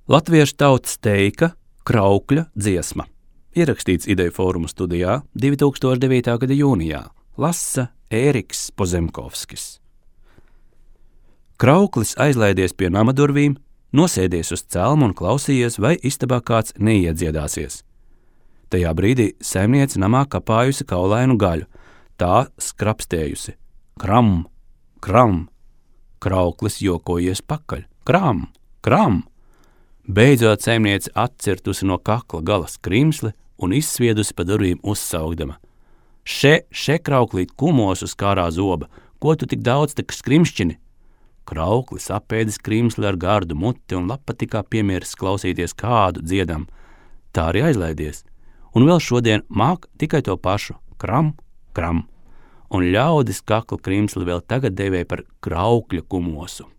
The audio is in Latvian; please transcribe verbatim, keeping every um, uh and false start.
Latviešu tautas teika Kraukļa dziesma. Ierakstīts Ideju fóruma studijā divi tūkstoši devītā gada jūnijā. Lasa Ēriks Pozemkovskis. Krauklis aizlaidies pie nama durvīm, nosēdies uz celma un klausījies, vai istabā kāds neiedziedāsies. Tajā brīdī saimniece namā kapājusi kaulainu gaļu, tā skrapstējusi. Kram, kram, Krauklis jokojies pakaļ. Kram, kram. Beidzot saimniece atcirtusi no kakla gala skrimsli un izsviedusi pa durvīm uzsaugdama. Še, še, Krauklīt, kumosu skārā zoba, ko tu tik daudz tak skrimšķini? Krauklis apēdis skrimsli ar gardu muti un labpatikā piemiris klausīties kādu dziedam. Tā arī aizlaidies. Un vēl šodien māk tikai to pašu kram, kram. Un ļaudis kakla krimsli vēl tagad devē par Kraukļa kumosu.